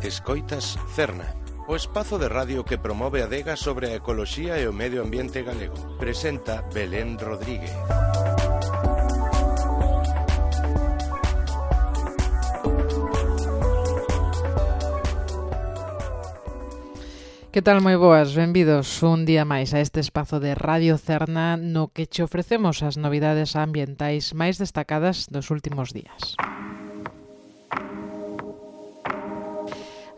Escoitas Cerna, o espazo de radio que promove a adega sobre a ecoloxía e o medio ambiente galego. Presenta Belén Rodríguez. Que tal, moi boas, benvidos un día máis a este espazo de Radio Cerna no que che ofrecemos as novidades ambientais máis destacadas dos últimos días.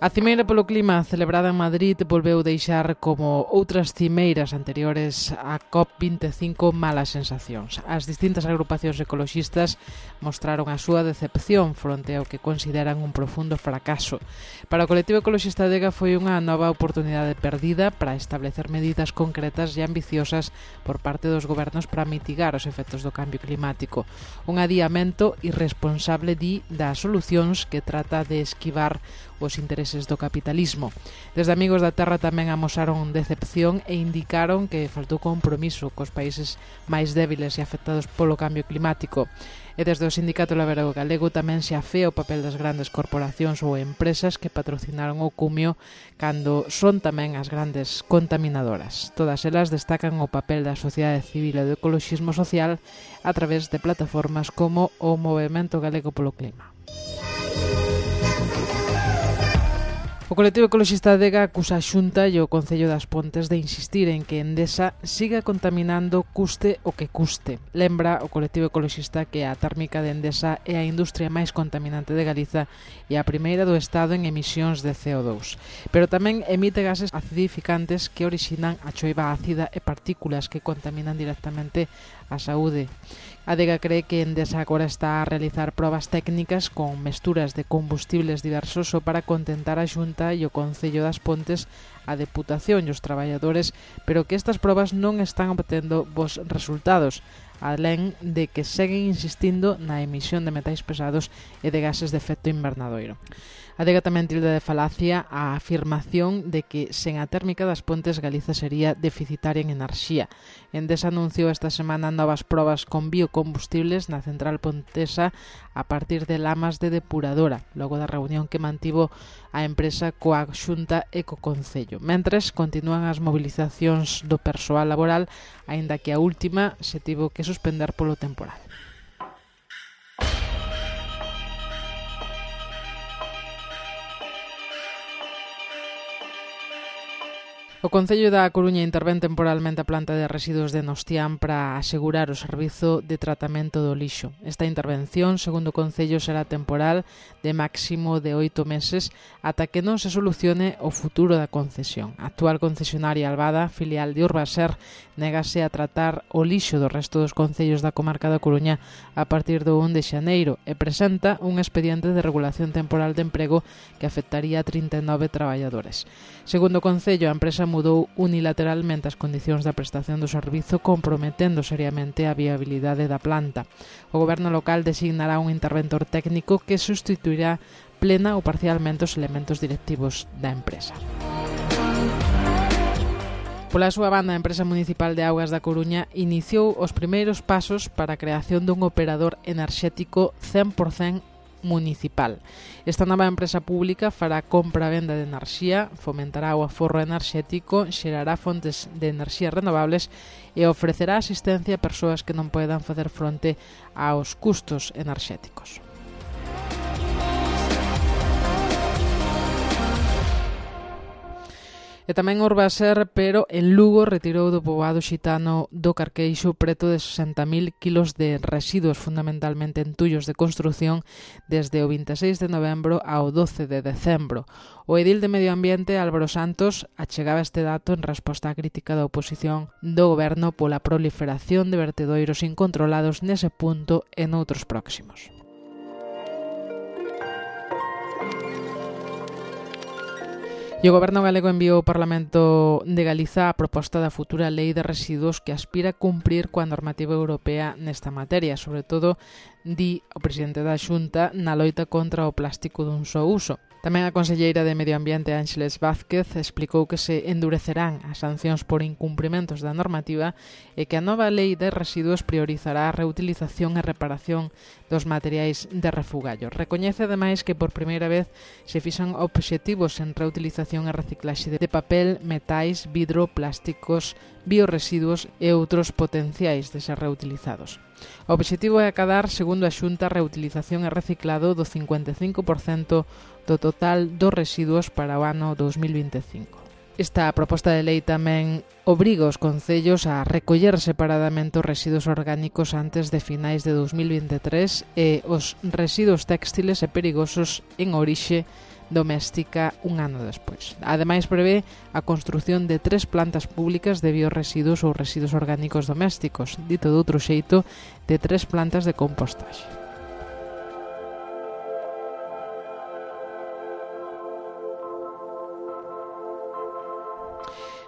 A Cimeira polo Clima celebrada en Madrid volveu deixar como outras cimeiras anteriores a COP25 malas sensacións. As distintas agrupacións ecoloxistas mostraron a súa decepción fronte ao que consideran un profundo fracaso. Para o colectivo ecoloxista Adega foi unha nova oportunidade perdida para establecer medidas concretas e ambiciosas por parte dos gobernos para mitigar os efectos do cambio climático. Un adiamento irresponsable das solucións que trata de esquivar os intereses do capitalismo. Desde Amigos da Terra tamén amosaron decepción e indicaron que faltou compromiso cos países máis débiles e afectados polo cambio climático. E desde o Sindicato Labrego Galego tamén se afea o papel das grandes corporacións ou empresas que patrocinaron o cumio cando son tamén as grandes contaminadoras. Todas elas destacan o papel da sociedade civil e do ecoloxismo social a través de plataformas como o Movemento Galego polo Clima. O colectivo ecoloxista Adega acusa a Xunta e o Concello das Pontes de insistir en que Endesa siga contaminando custe o que custe. Lembra o colectivo ecoloxista que a térmica de Endesa é a industria máis contaminante de Galiza e a primeira do Estado en emisións de CO2. Pero tamén emite gases acidificantes que orixinan a choiva ácida e partículas que contaminan directamente a saúde. Adega cree que Endesa agora está a realizar probas técnicas con mesturas de combustibles diversos só para contentar a Xunta e o Concello das Pontes, a Deputación e os traballadores, pero que estas probas non están obtendo bons resultados, alén de que seguen insistindo na emisión de metais pesados e de gases de efecto invernadoiro. Adega tamén tilda de falacia a afirmación de que sen a térmica das Pontes Galiza sería deficitaria en enerxía. Endesa anunciou esta semana novas probas con biocombustibles na central pontesa a partir de lamas de depuradora, logo da reunión que mantivo a empresa coa Xunta e co Concello. Mentres, continúan as movilizacións do persoal laboral, aínda que a última se tivo que suspender polo temporal. O Concello da Coruña intervén temporalmente a planta de residuos de Nostián para asegurar o servizo de tratamento do lixo. Esta intervención, segundo o Concello, será temporal de máximo de 8 meses ata que non se solucione o futuro da concesión. A actual concesionaria Albada, filial de Urbaser, négase a tratar o lixo do resto dos concellos da comarca da Coruña a partir do 1 de xaneiro e presenta un expediente de regulación temporal de emprego que afectaría a 39 traballadores. Segundo o Concello, a empresa mudou unilateralmente as condicións da prestación do servizo, comprometendo seriamente a viabilidade da planta. O goberno local designará un interventor técnico que sustituirá plena ou parcialmente os elementos directivos da empresa. Pola súa banda, a empresa municipal de Augas da Coruña iniciou os primeiros pasos para a creación dun operador enerxético 100% municipal. Esta nova empresa pública fará compra-venda de enerxía, fomentará o aforro enerxético, xerará fontes de enerxías renovables e ofrecerá asistencia a persoas que non poidan facer fronte aos custos enerxéticos. E tamén Urbaser, pero en Lugo retirou do poboado xitano do Carqueixo preto de 60.000 kilos de residuos, fundamentalmente entullos de construción, desde o 26 de novembro ao 12 de decembro. O edil de Medio Ambiente, Álvaro Santos, achegaba este dato en resposta á crítica da oposición do goberno pola proliferación de vertedoiros incontrolados nese punto e noutros próximos. E o Goberno galego enviou ao Parlamento de Galiza a proposta da futura lei de residuos que aspira a cumprir coa normativa europea nesta materia, sobre todo, di o presidente da Xunta, na loita contra o plástico dun só uso. Tamén a conselleira de Medio Ambiente Ángeles Vázquez explicou que se endurecerán as sancións por incumprimentos da normativa e que a nova lei de residuos priorizará a reutilización e reparación dos materiais de refugallo. Recoñece ademais que por primeira vez se fixan obxectivos en reutilización e reciclaxe de papel, metais, vidro, plásticos, bioresiduos e outros potenciais de ser reutilizados. O obxectivo é acadar, segundo a Xunta, a reutilización e reciclado do 55% do total dos residuos para o ano 2025. Esta proposta de lei tamén obriga os concellos a recoller separadamente os residuos orgánicos antes de finais de 2023 e os residuos textiles e perigosos en orixe doméstica un ano despois. Ademais, prevé a construción de 3 plantas públicas de bioresiduos ou residuos orgánicos domésticos, dito de outro xeito, de 3 plantas de compostaxe.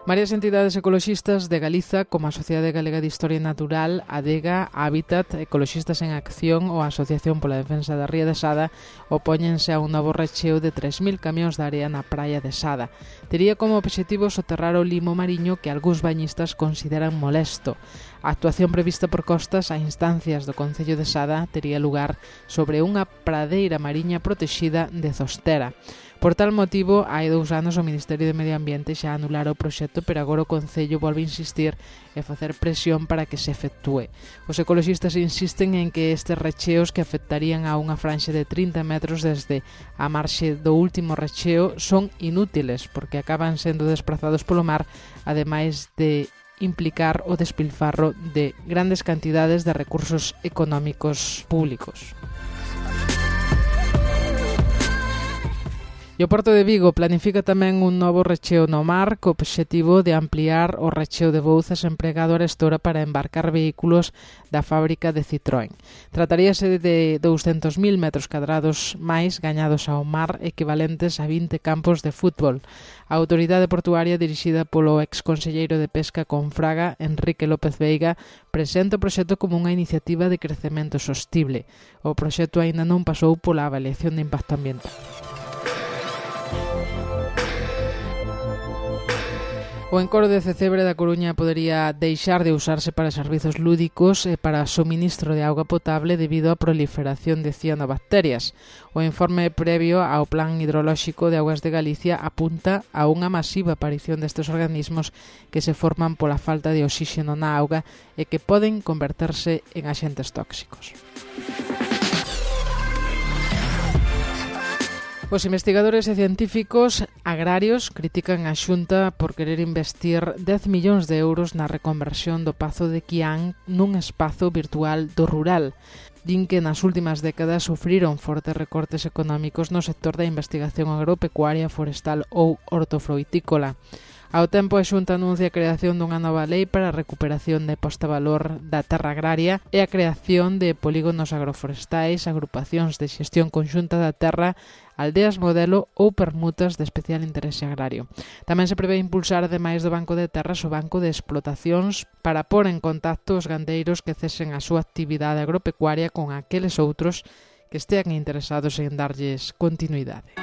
Varias entidades ecoloxistas de Galiza, como a Sociedade Galega de Historia Natural, Adega, Hábitat, Ecoloxistas en Acción ou a Asociación pola Defensa da Ría de Sada, opóñense a un novo recheo de 3.000 camións de area na praia de Sada. Tería como obxectivo soterrar o limo mariño que algúns bañistas consideran molesto. A actuación prevista por Costas a instancias do Concello de Sada tería lugar sobre unha pradeira mariña protexida de Zostera. Por tal motivo, hai 2 anos o Ministerio de Medio Ambiente xa anulara o proxecto, pero agora o Concello volve a insistir e facer presión para que se efectúe. Os ecoloxistas insisten en que estes recheos que afectarían a unha franxa de 30 metros desde a marxe do último recheo son inútiles, porque acaban sendo desprazados polo mar, ademais de implicar o despilfarro de grandes cantidades de recursos económicos públicos. E o Porto de Vigo planifica tamén un novo recheo no mar co obxectivo de ampliar o recheo de Bouzas empregado a Arestora para embarcar vehículos da fábrica de Citroën. Trataríase de 200.000 metros cadrados máis gañados ao mar, equivalentes a 20 campos de fútbol. A autoridade portuaria, dirixida polo exconselleiro de Pesca con Fraga, Enrique López Veiga, presenta o proxecto como unha iniciativa de crecemento sostible. O proxecto aínda non pasou pola avaliación de impacto ambiental. O encoro de Cecebre da Coruña podería deixar de usarse para servizos lúdicos e para suministro de auga potable debido á proliferación de cianobacterias. O informe previo ao Plan Hidrolóxico de Augas de Galicia apunta a unha masiva aparición destes organismos que se forman pola falta de oxígeno na auga e que poden converterse en axentes tóxicos. Os investigadores e científicos agrarios critican a Xunta por querer investir 10 millóns de euros na reconversión do Pazo de Quián nun espazo virtual do rural. Din que nas últimas décadas sufriron fortes recortes económicos no sector da investigación agropecuaria, forestal ou hortofruitícola. Ao tempo, a Xunta anuncia a creación dunha nova lei para a recuperación de posta-valor da terra agraria e a creación de polígonos agroforestais, agrupacións de xestión conxunta da terra, aldeas modelo ou permutas de especial interese agrario. Tamén se prevé impulsar, ademais do Banco de Terras, o Banco de Explotacións para pôr en contacto os gandeiros que cesen a súa actividade agropecuaria con aqueles outros que estean interesados en darlles continuidade.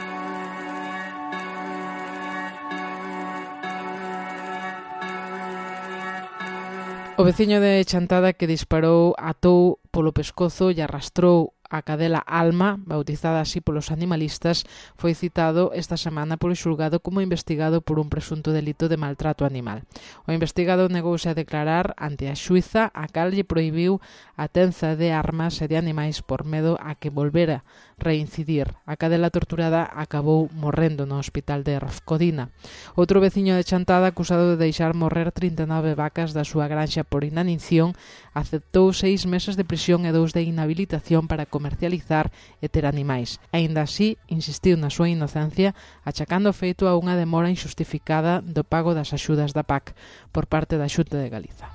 O veciño de Chantada que disparou atou polo pescozo e arrastrou a cadela Alma, bautizada así polos animalistas, foi citado esta semana polo xulgado como investigado por un presunto delito de maltrato animal. O investigado negouse a declarar ante a xuíza, a cal lle prohibiu a tenza de armas e de animais por medo a que volvera reincidir. A cadela torturada acabou morrendo no hospital de Rafcodina. Outro veciño de Chantada, acusado de deixar morrer 39 vacas da súa granxa por inanición, aceptou 6 meses de prisión e 2 de inhabilitación para comercializar e ter animais. Aínda así, insistiu na súa inocencia, achacando o feito a unha demora injustificada do pago das axudas da PAC por parte da Xunta de Galiza.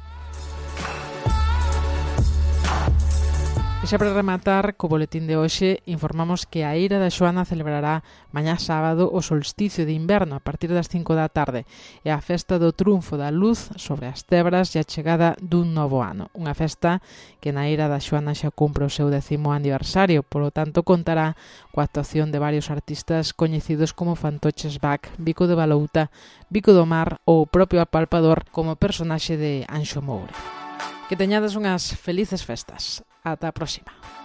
E xa para rematar, co boletín de hoxe, informamos que a Eira da Xoana celebrará mañá sábado o solsticio de inverno a partir das 5 da tarde e a festa do triunfo da luz sobre as tebras e a chegada dun novo ano. Unha festa que na Eira da Xoana xa cumpre o seu 10º aniversario, polo tanto contará coa actuación de varios artistas coñecidos como Fantoches Bach, Bico de Balouta, Bico do Mar ou o propio Apalpador como personaxe de Anxo Moure. Que teñades unhas felices festas. Ata a próxima.